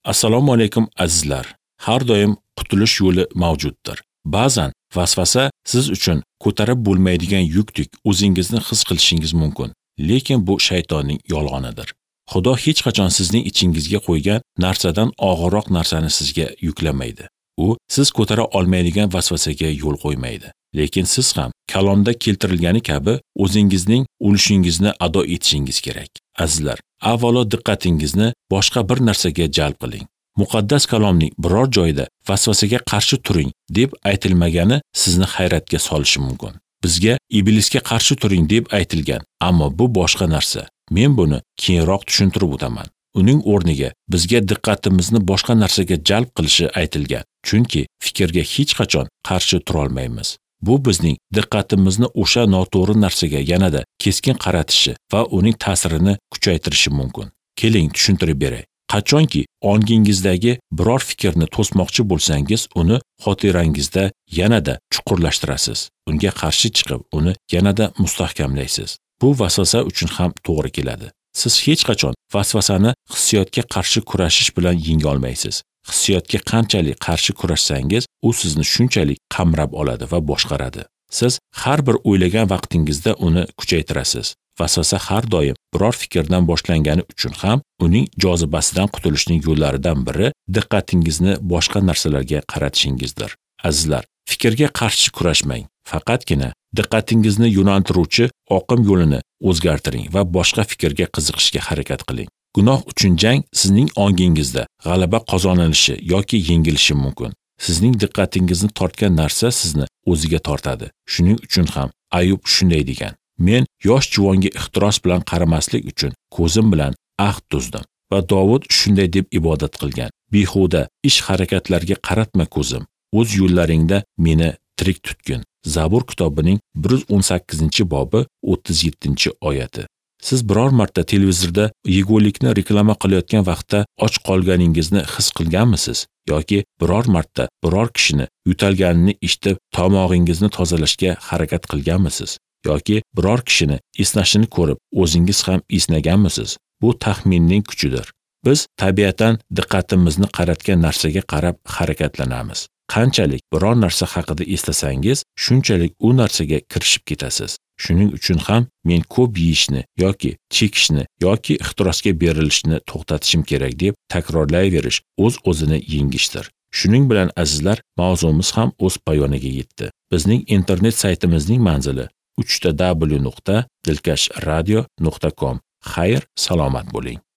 Assalomu alaykum azizlar. Har doim qutulish yo'li mavjuddir. Ba'zan vasvasa siz uchun ko'tarib bo'lmaydigan yukdek o'zingizni his qilishingiz mumkin. Lekin bu shaytonning yolg'onidir. Xudo hech qachon sizning ichingizga qo'ygan narsadan og'irroq narsani sizga yuklamaydi. U siz ko'tara olmaydigan vasvasaga yo'l qo'ymaydi. Lekin siz ham kalomda keltirilgani kabi o'zingizning ulushingizni ado etishingiz kerak. Azizlar, avvalo diqqatingizni boshqa bir narsaga jalb qiling. Muqaddas kalomning biror joyida vasvasaga qarshi turing deb aytilmagani sizni hayratga solishi mumkin. Bizga iblisga qarshi turing deb aytilgan, ammo bu boshqa narsa. Men buni keyinroq tushuntirib o'taman. Uning o'rniga bizga diqqatimizni boshqa narsaga jalb qilishi aytilgan. Chunki fikrga hech qachon qarshi tura olmaymiz. Bu bizning diqqatimizni o'sha noto'g'ri narsaga yanada keskin qaratishi va uning ta'sirini kuchaytirishi mumkin. Keling, tushuntirib beray. Qachonki ongingizdagi biror fikrni to'smoqchi bo'lsangiz, uni xotirangizda yanada chuqurlashtirasiz. Unga qarshi chiqib, uni yanada mustahkamlaysiz. Bu vasvasa uchun ham to'g'ri keladi. Siz hech qachon vasvasani hissiyotga qarshi kurashish bilan yenga olmaysiz. Hissiyotga qanchalik qarshi kurashsangiz, u sizni shunchalik qamrab oladi va boshqaradi. Siz har bir o'ylagan vaqtingizda uni kuchaytirasiz. Vasvasa har doim biror fikrdan boshlangani uchun ham uning jozibasidan qutulishning yo'llaridan biri diqqatingizni boshqa narsalarga qaratishingizdir. Azizlar, fikrga qarshi kurashmang. Faqatgina diqqatingizni yo'naltiruvchi oqim yo'lini o'zgartiring va boshqa fikrga qiziqishga harakat qiling. Gunoh uchun jang sizning ongingizda g'alaba qozonilishi yoki yengilishi mumkin. Sizning diqqatingizni tortgan narsa sizni o'ziga tortadi. Shuning uchun ham Ayub shunday degan: Men yosh juvonga ixtiros bilan qaramaslik uchun ko'zim bilan ahd tuzdim. Va Dovud shunday deb ibodat qilgan: Behuda ish harakatlarga qaratma ko'zim, o'z yo'llaringda meni tirik tutgin. Zabur kitobining 118-bobi 37-oyati. Siz biror marta televizorda yegulikni reklama qilayotgan vaqtda och qolganingizni his qilganmisiz? Yoki biror marta biror kishini yo'talganini eshitib tomog'ingizni tozalashga harakat qilganmisiz? Yoki biror kishini esnashini ko'rib o'zingiz ham esnaganmisiz? Bu taxminning kuchidir. Biz tabiatan diqqatimizni qaratgan narsaga qarab harakatlanamiz. Qanchalik biror narsa haqida eslasangiz, shunchalik u narsaga kirishib ketasiz. Shuning uchun ham men ko'p yeyishni yoki chekishni yoki ixtirosga berilishni to'xtatishim kerak deb takrorlayverish o'z-o'zini yengishdir. Shuning bilan azizlar, mavzumiz ham o'z poyoniga yetdi. Bizning internet saytimizning manzili www.dilkashradio.com. Xayr, salomat bo'ling.